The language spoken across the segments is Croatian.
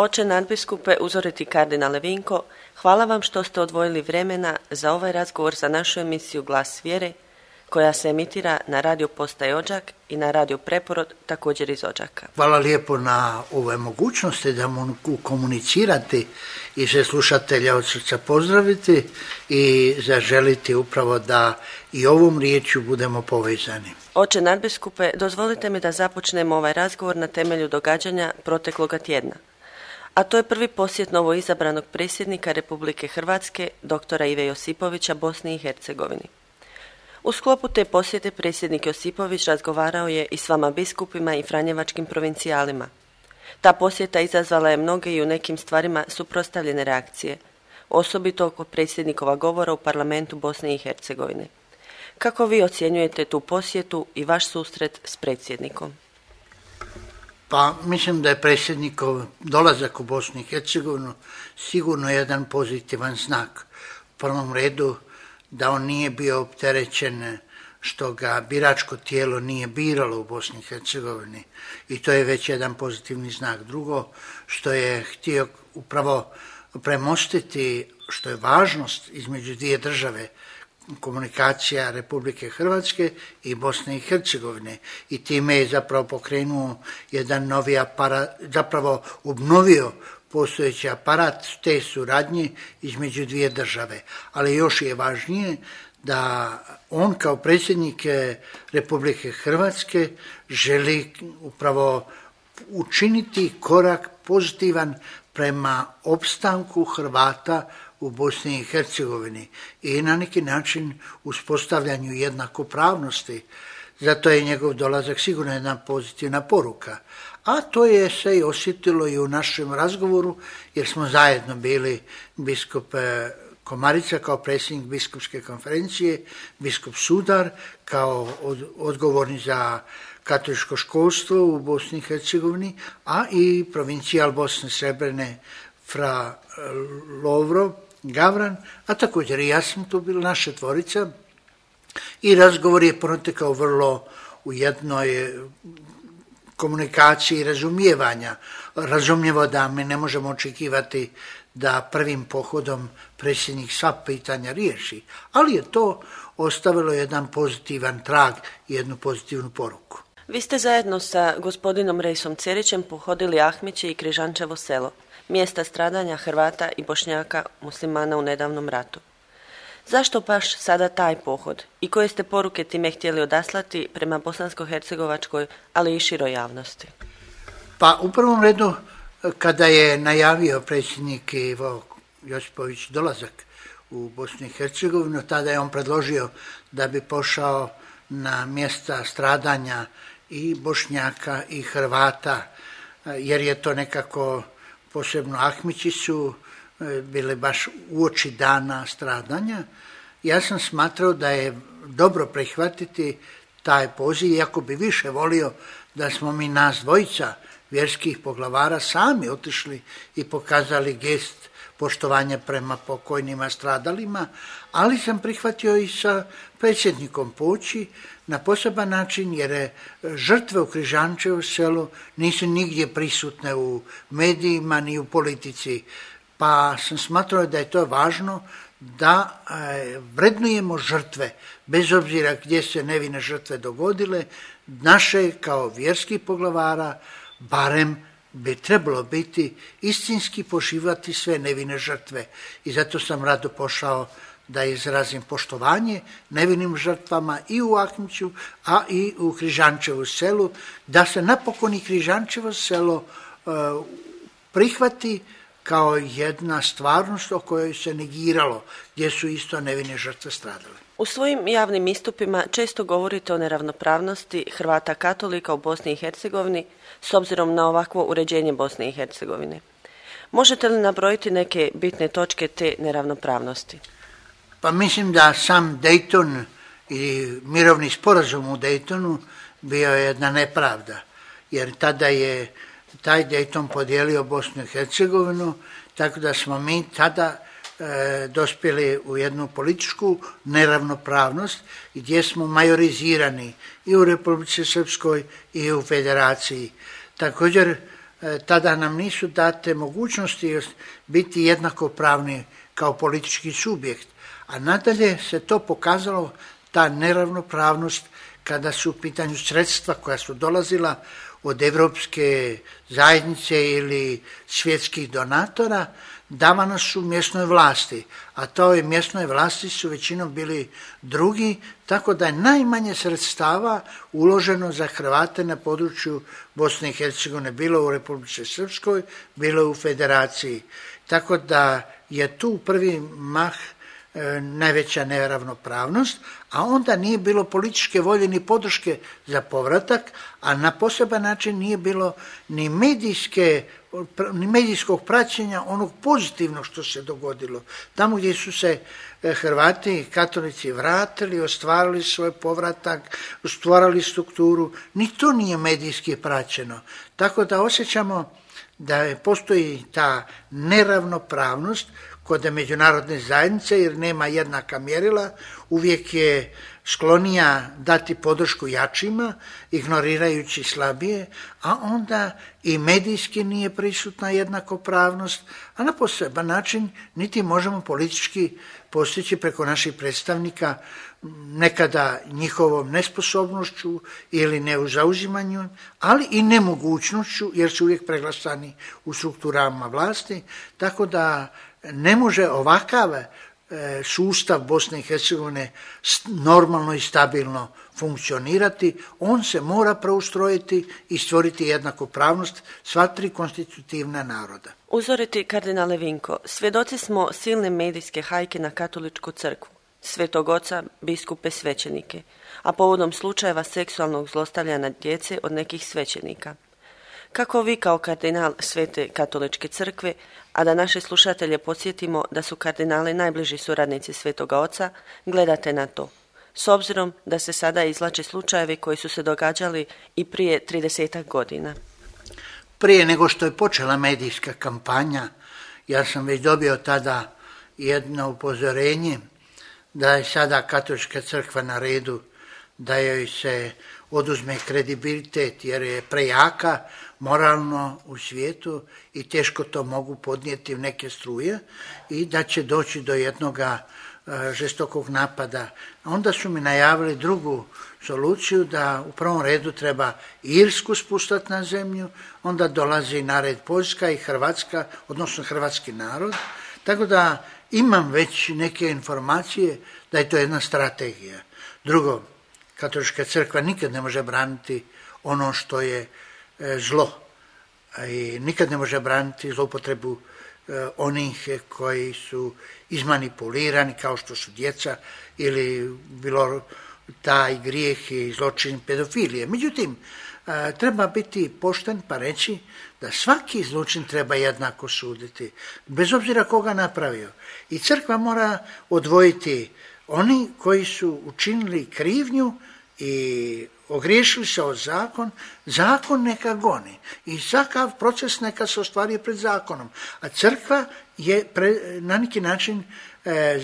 Oče nadbiskupe, uzoriti kardinale Vinko, hvala vam što ste odvojili vremena za ovaj razgovor za našu emisiju Glas vjere, koja se emitira na radio postaji Odžak i na radio Preporod, također iz Odžaka. Hvala lijepo na ove mogućnosti da mogu komunicirati i sve slušatelja od srca pozdraviti i zaželiti upravo da i ovom riječju budemo povezani. Oče nadbiskupe, dozvolite mi da započnemo ovaj razgovor na temelju događanja protekloga tjedna. A to je prvi posjet novoizabranog predsjednika Republike Hrvatske, doktora Ive Josipovića, Bosni i Hercegovini. U sklopu te posjete predsjednik Josipović razgovarao je i s vama biskupima i franjevačkim provincijalima. Ta posjeta izazvala je mnoge i u nekim stvarima suprotstavljene reakcije, osobito oko predsjednikova govora u parlamentu Bosne i Hercegovine. Kako vi ocjenjujete tu posjetu i vaš susret s predsjednikom? Pa mislim da je predsjednikov dolazak u Bosnu i Hercegovinu sigurno jedan pozitivan znak. U prvom redu da on nije bio opterećen što ga biračko tijelo nije biralo u Bosni i Hercegovini i to je već jedan pozitivni znak. Drugo, što je htio upravo premostiti, što je važnost između dvije države, komunikacija Republike Hrvatske i Bosne i Hercegovine i time je zapravo pokrenuo jedan novi aparat, zapravo obnovio postojeći aparat te suradnje između dvije države. Ali još je važnije da on kao predsjednik Republike Hrvatske želi upravo učiniti korak pozitivan prema opstanku Hrvata u Bosni i Hercegovini i na neki način uspostavljanju jednakopravnosti. Zato je njegov dolazak sigurno jedna pozitivna poruka. A to je se i osjetilo i u našem razgovoru, jer smo zajedno bili biskup Komarica kao predsjednik biskupske konferencije, biskup Sudar kao odgovorni za katoličko školstvo u Bosni i Hercegovini, a i provincijal Bosne Srebrene fra Lovro Gavran, a također i ja sam tu bila, naša tvorica. I razgovor je protekao vrlo u jednoj komunikaciji i razumijevanja. Razumljivo da mi ne možemo očekivati da prvim pohodom predsjednik sva pitanja riješi, ali je to ostavilo jedan pozitivan trag i jednu pozitivnu poruku. Vi ste zajedno sa gospodinom Reisom Cerićem pohodili Ahmiće i Križančevo selo, mjesta stradanja Hrvata i Bošnjaka muslimana u nedavnom ratu. Zašto baš sada taj pohod i koje ste poruke time htjeli odaslati prema bosansko-hercegovačkoj, ali i široj javnosti? Pa u prvom redu, kada je najavio predsjednik Ivo Josipović dolazak u Bosnu i Hercegovinu, tada je on predložio da bi pošao na mjesta stradanja i Bošnjaka i Hrvata, jer je to nekako, posebno Ahmići su bile baš uoči dana stradanja. Ja sam smatrao da je dobro prihvatiti taj poziv, iako bi više volio da smo mi nas dvojica vjerskih poglavara sami otišli i pokazali gest poštovanja prema pokojnima stradalima, ali sam prihvatio i sa predsjednikom poći na poseban način, jer žrtve u Križančevu selu nisu nigdje prisutne u medijima ni u politici, pa sam smatrao da je to važno da vrednujemo žrtve, bez obzira gdje se nevine žrtve dogodile, naše kao vjerskih poglavara barem bi trebalo biti istinski poštivati sve nevine žrtve i zato sam rado pošao da izrazim poštovanje nevinim žrtvama i u Ahmiću, a i u Križančevu selu, da se napokon i Križančevo selo prihvati kao jedna stvarnost o kojoj se negiralo, gdje su isto nevine žrtve stradale. U svojim javnim istupima često govorite o neravnopravnosti Hrvata katolika u Bosni i Hercegovini s obzirom na ovakvo uređenje Bosne i Hercegovine. Možete li nabrojiti neke bitne točke te neravnopravnosti? Pa mislim da sam Dayton i mirovni sporazum u Daytonu bio je jedna nepravda, jer tada je taj Dayton podijelio Bosnu i Hercegovinu, tako da smo mi tada dospjeli u jednu političku neravnopravnost gdje smo majorizirani i u Republici Srpskoj i u Federaciji. Također tada nam nisu date mogućnosti biti jednakopravni kao politički subjekt. A nadalje se to pokazalo, ta neravnopravnost, kada su u pitanju sredstva koja su dolazila od Evropske zajednice ili svjetskih donatora, davana su mjesnoj vlasti, a toj mjesnoj vlasti su većinom bili drugi, tako da je najmanje sredstava uloženo za Hrvate na području Bosne i Hercegovine, bilo u Republici Srpskoj, bilo u Federaciji. Tako da je tu prvi mah najveća neravnopravnost, a onda nije bilo političke volje ni podrške za povratak, a na poseban način nije bilo ni medijskog praćenja onog pozitivnog što se dogodilo. Tamo gdje su se Hrvati i katolici vratili, ostvarili svoj povratak, stvarali strukturu, ni to nije medijski praćeno. Tako da osjećamo da postoji ta neravnopravnost kod međunarodne zajednice, jer nema jednaka mjerila, uvijek je sklonija dati podršku jačima, ignorirajući slabije, a onda i medijski nije prisutna jednakopravnost, a na poseban način niti možemo politički postići preko naših predstavnika, nekada njihovom nesposobnošću ili neuzauzimanju, ali i nemogućnošću, jer su uvijek preglasani u strukturama vlasti, tako da ne može ovakav sustav Bosne i Hercegovine normalno i stabilno funkcionirati, on se mora preustrojiti i stvoriti jednakopravnost sva tri konstitutivna naroda. Uzoriti kardinale Vinko, svjedoci smo silne medijske hajke na katoličku crkvu, Svetog Oca, biskupe, svećenike, a povodom slučajeva seksualnog zlostavljanja djece od nekih svećenika. Kako vi kao kardinal Svete katoličke crkve, a da naše slušatelje podsjetimo da su kardinali najbliži suradnici Svetoga Oca, gledate na to, s obzirom da se sada izvlače slučajevi koji su se događali i prije 30 godina? Prije nego što je počela medijska kampanja, ja sam već dobio tada jedno upozorenje da je sada katolička crkva na redu, da joj se oduzme kredibilitet jer je prejaka moralno u svijetu i teško to mogu podnijeti neke struje i da će doći do jednoga žestokog napada. Onda su mi najavili drugu soluciju, da u prvom redu treba Irsku spustati na zemlju, onda dolazi na red Poljska i Hrvatska, odnosno hrvatski narod. Tako da imam već neke informacije da je to jedna strategija. Drugo, katolička crkva nikad ne može braniti ono što je zlo i nikad ne može braniti zloupotrebu onih koji su izmanipulirani kao što su djeca ili bilo taj grijeh i zločin pedofilije. Međutim, treba biti pošten pa reći da svaki zločin treba jednako suditi, bez obzira koga napravio. I crkva mora odvojiti oni koji su učinili krivnju i ogriješili se o zakon, zakon neka goni i svakav proces neka se ostvari pred zakonom. A crkva je na neki način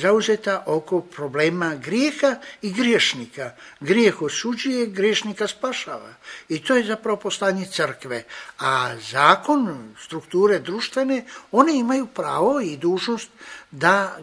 zauzeta oko problema grijeha i griješnika. Grijeh osuđuje, griješnika spašava. I to je zapravo poslanje crkve. A zakon, strukture društvene, one imaju pravo i dužnost da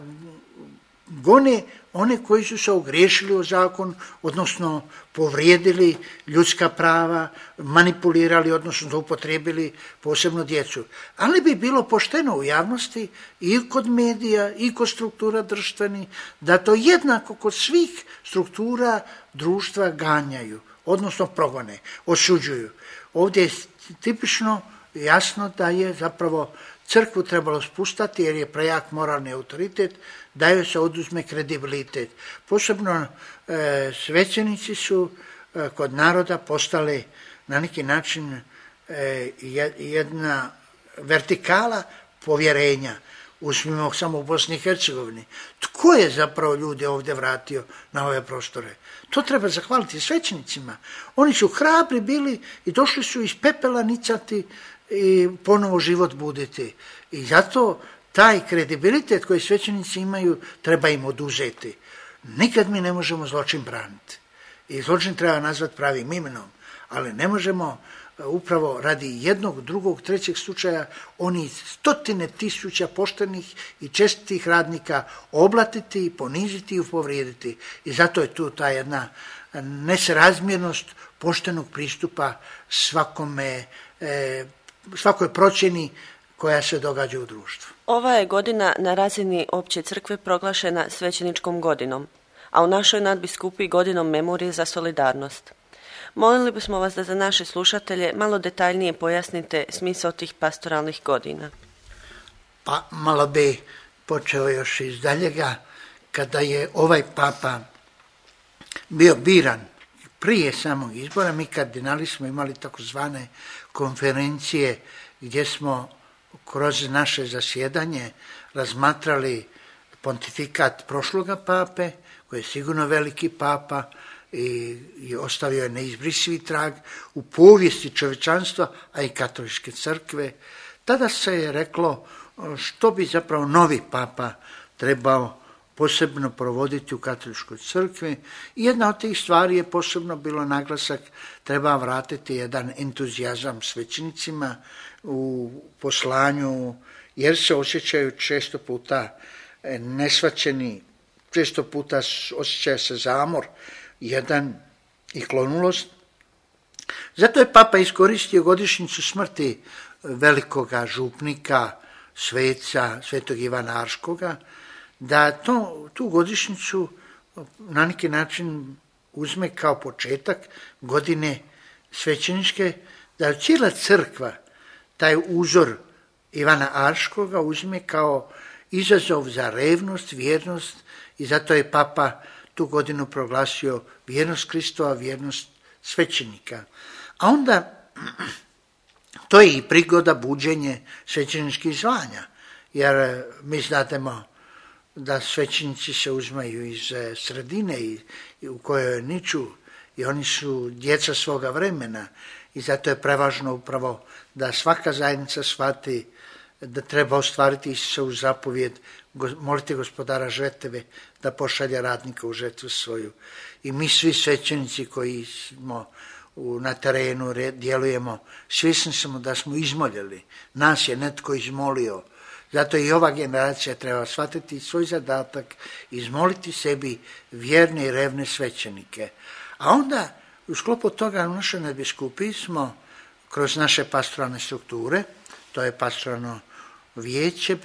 gone one koji su se ogriješili o zakon, odnosno povrijedili ljudska prava, manipulirali, odnosno zloupotrijebili posebno djecu. Ali bi bilo pošteno u javnosti i kod medija i kod struktura društvenih da to jednako kod svih struktura društva ganjaju, odnosno progone, osuđuju. Ovdje je tipično jasno da je zapravo crkvu trebalo spustati jer je prejak moralni autoritet, da joj se oduzme kredibilitet. Posebno svećenici su kod naroda postali na neki način jedna vertikala povjerenja. Uzmimo samo u Bosni i Hercegovini. Tko je zapravo ljude ovdje vratio na ove prostore? To treba zahvaliti svećenicima. Oni su hrabri bili i došli su iz pepela nicati i ponovo život buditi. I zato taj kredibilitet koji svećenici imaju treba im oduzeti. Nikad mi ne možemo zločin braniti. I zločin treba nazvati pravim imenom, ali ne možemo upravo radi jednog, drugog, trećeg slučaja oni 100.000 poštenih i čestitih radnika oblatiti, poniziti i povrijediti. I zato je tu ta jedna nesrazmjernost poštenog pristupa svakoj procjeni koja se događa u društvu. Ova je godina na razini opće crkve proglašena svećeničkom godinom, a u našoj nadbiskupiji godinom memorije za solidarnost. Molili bismo vas da za naše slušatelje malo detaljnije pojasnite smisao tih pastoralnih godina. Pa malo bi počeo još iz daljega, kada je ovaj papa bio biran prije samog izbora, mi kardinali smo imali takozvane konferencije gdje smo kroz naše zasjedanje razmatrali pontifikat prošloga pape, koji je sigurno veliki papa i ostavio je neizbrisivi trag u povijesti čovječanstva, a i katoličke crkve. Tada se je reklo što bi zapravo novi papa trebao posebno provoditi u katoličkoj crkvi. I jedna od tih stvari je posebno bilo naglasak, treba vratiti jedan entuzijazam svećenicima u poslanju, jer se osjećaju često puta nesvaćeni, često puta osjećaja se zamor jedan i klonulost. Zato je papa iskoristio godišnjicu smrti velikoga župnika, sveca, svetog Ivana Arškoga, da tu godišnjicu na neki način uzme kao početak godine svećeničke, da cijela crkva taj uzor Ivana Arškoga uzme kao izazov za revnost, vjernost, i zato je papa tu godinu proglasio vjernost Kristova, vjernost svećenika. A onda to je i prigoda buđenje svećeničkih zvanja, jer mi znatemo da svećenici se uzmaju iz sredine u kojoj niču i oni su djeca svoga vremena, i zato je prevažno upravo da svaka zajednica shvati da treba ostvariti Isusovu zapovjed, molite Gospodara žetve da pošalje radnika u žetvu svoju. I mi svi svećenici koji smo na terenu, djelujemo, svjesni smo da smo izmoljeli, nas je netko izmolio. Zato i ova generacija treba shvatiti svoj zadatak, izmoliti sebi vjerne i revne svećenike. A onda u sklopu toga u našoj nadbiskupiji smo kroz naše pastoralne strukture, to je pastoralno vijeće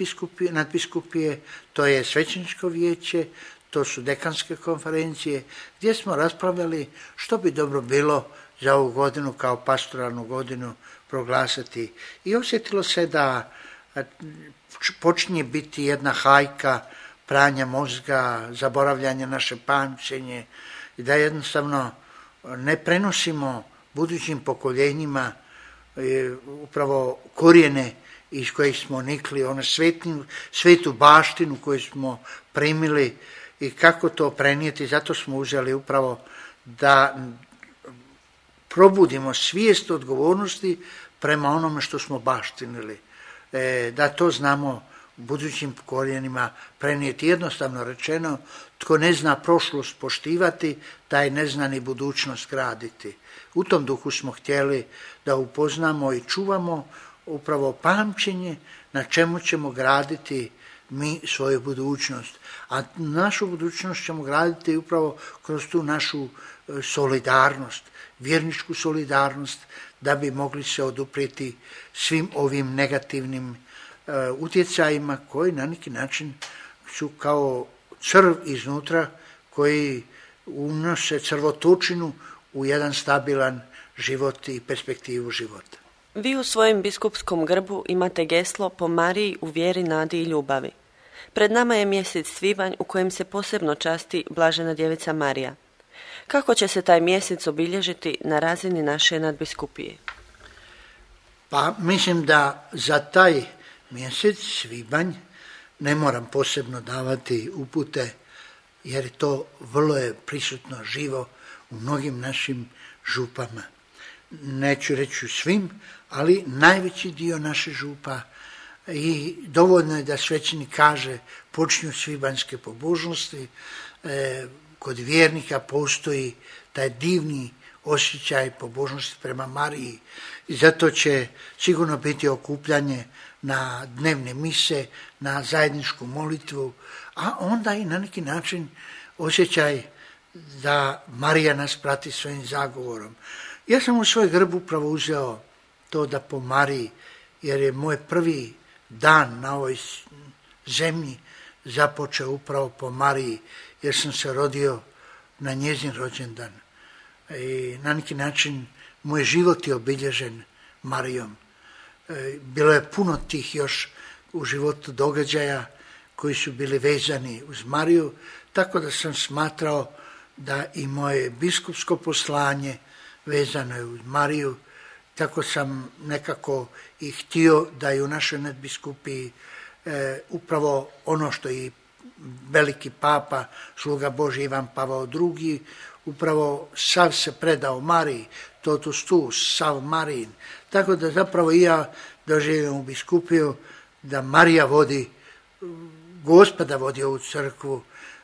nadbiskupije, to je svećeničko vijeće, to su dekanske konferencije, gdje smo raspravljali što bi dobro bilo za ovu godinu kao pastoralnu godinu proglasiti. I osjetilo se da počinje biti jedna hajka pranja mozga, zaboravljanja naše pamćenje i da jednostavno ne prenosimo budućim pokoljenjima upravo korijene iz kojih smo nikli, ono svetu baštinu koju smo primili i kako to prenijeti. Zato smo uzeli upravo da probudimo svijest odgovornosti prema onome što smo baštinili. Da to znamo budućim korijenima prenijeti. Jednostavno rečeno, tko ne zna prošlost poštivati, taj ne zna ni budućnost graditi. U tom duhu smo htjeli da upoznamo i čuvamo upravo pamćenje na čemu ćemo graditi mi svoju budućnost. A našu budućnost ćemo graditi upravo kroz tu našu solidarnost, vjerničku solidarnost, da bi mogli se oduprijeti svim ovim negativnim utjecajima koji na neki način su kao crv iznutra koji unose crvotočinu u jedan stabilan život i perspektivu života. Vi u svojem biskupskom grbu imate geslo po Mariji u vjeri, nadi i ljubavi. Pred nama je mjesec svibanj u kojem se posebno časti Blažena djevica Marija. Kako će se taj mjesec obilježiti na razini naše nadbiskupije? Pa mislim da za taj mjesec svibanj ne moram posebno davati upute, jer to vrlo je prisutno živo u mnogim našim župama. Neću reći u svim, ali najveći dio naše župa, i dovoljno je da svećenik kaže počinju svibanjske pobožnosti. Kod vjernika postoji taj divni osjećaj pobožnosti prema Mariji i zato će sigurno biti okupljanje na dnevne mise, na zajedničku molitvu, a onda i na neki način osjećaj da Marija nas prati svojim zagovorom. Ja sam u svoj grb upravo uzeo to da po Mariji, jer je moj prvi dan na ovoj zemlji započeo upravo po Mariji, jer sam se rodio na njezin rođendan. I na neki način moj život je obilježen Marijom. Bilo je puno tih još u životu događaja koji su bili vezani uz Mariju, tako da sam smatrao da i moje biskupsko poslanje vezano je uz Mariju, tako sam nekako i htio da i u našoj nadbiskupiji upravo ono što i veliki papa, sluga Božji Ivan Pavao II, upravo sav se predao Mariji, totus tuus, sav Marijin. Tako da zapravo i ja doživim u biskupiju da Marija vodi, Gospoda vodi ovu crkvu.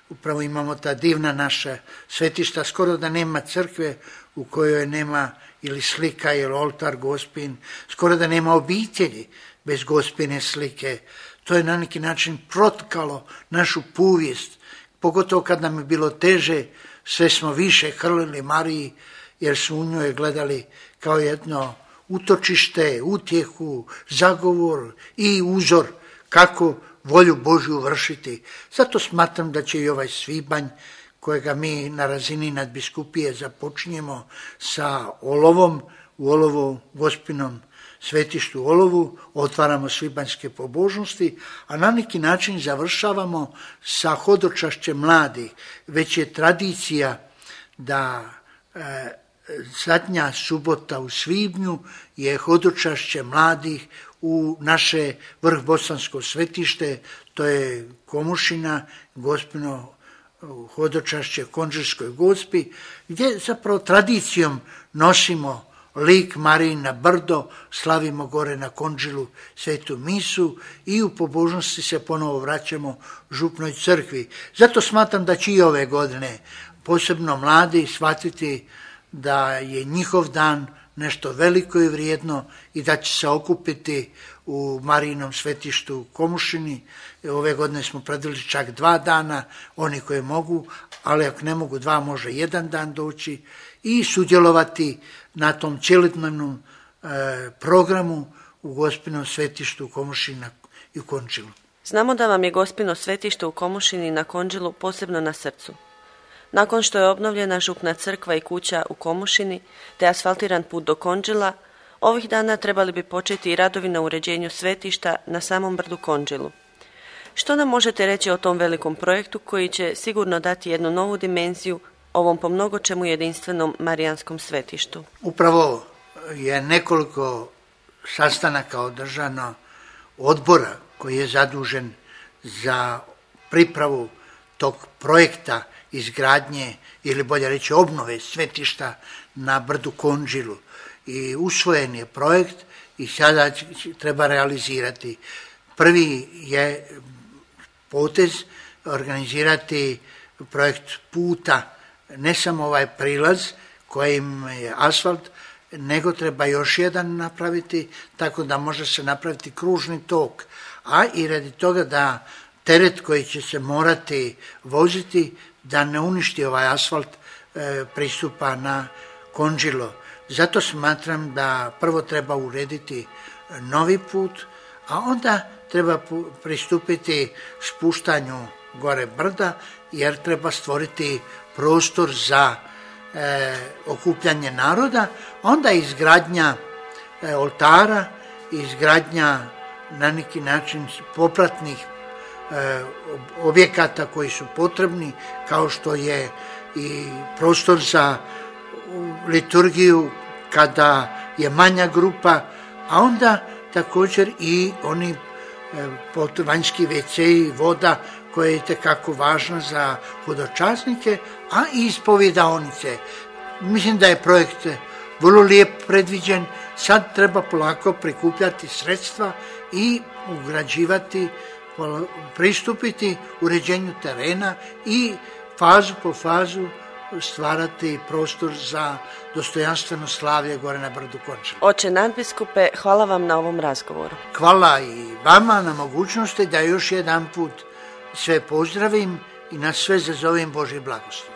Upravo imamo ta divna naša svetišta, skoro da nema crkve u kojoj nema ili slika ili oltar Gospin, skoro da nema obitelji bez Gospine slike. To je na neki način protkalo našu povijest, pogotovo kad nam je bilo teže, sve smo više hrlili Mariji, jer su u njoj gledali kao jedno utočište, utjehu, zagovor i uzor kako volju Božju vršiti. Zato smatram da će i ovaj svibanj, kojega mi na razini nadbiskupije započinjemo sa Olovom, u Olovu Gospinom svetištu u Olovu, otvaramo svibanjske pobožnosti, a na neki način završavamo sa hodočašćem mladih. Već je tradicija da zadnja subota u svibnju je hodočašće mladih u naše vrhbosansko svetište, to je Komušina, Gospino hodočašće Konđelskoj Gospi, gdje zapravo tradicijom nosimo lik Marijin na brdo, slavimo gore na Konđilu svetu misu i u pobožnosti se ponovo vraćamo župnoj crkvi. Zato smatram da će i ove godine posebno mladi shvatiti da je njihov dan nešto veliko i vrijedno i da će se okupiti u Marijinom svetištu u Komušini. Ove godine smo predvidjeli čak 2 dana, oni koji mogu, ali ako ne mogu 2, može 1 dan doći i sudjelovati na tom cjelodnevnom programu u Gospinom svetištu u Komušini i u Konđilu. Znamo da vam je Gospino svetište u Komušini na Konđilu posebno na srcu. Nakon što je obnovljena župna crkva i kuća u Komušini te asfaltiran put do Konđila, ovih dana trebali bi početi i radovi na uređenju svetišta na samom brdu Konđilu. Što nam možete reći o tom velikom projektu koji će sigurno dati jednu novu dimenziju ovom po mnogo čemu jedinstvenom marijanskom svetištu? Upravo je nekoliko sastanaka održano odbora koji je zadužen za pripravu tog projekta izgradnje ili bolje reći obnove svetišta na brdu Konđilu. I usvojen je projekt i sada treba realizirati. Prvi je potez organizirati projekt puta, ne samo ovaj prilaz kojim je asfalt, nego treba još jedan napraviti, tako da može se napraviti kružni tok, a i radi toga da teret koji će se morati voziti, da ne uništi ovaj asfalt pristupa na Konđilo. Zato smatram da prvo treba urediti novi put, a onda treba pristupiti spuštanju gore brda, jer treba stvoriti prostor za okupljanje naroda, onda izgradnja oltara, izgradnja na neki način popratnih objekata koji su potrebni, kao što je i prostor za liturgiju kada je manja grupa, a onda također i oni vanjski WC-i, voda koja je itekako važna za hodočasnike, a i ispovjedaonice. Mislim da je projekt vrlo lijep predviđen, sad treba polako prikupljati sredstva i ugrađivati, pristupiti uređenju terena i fazu po fazu stvarati prostor za dostojanstveno slavlje gore na brdu Končar. Oče nadbiskupe, hvala vam na ovom razgovoru. Hvala i vama na mogućnosti da još jedan put sve pozdravim i na sve zazovem Božje blagoslov.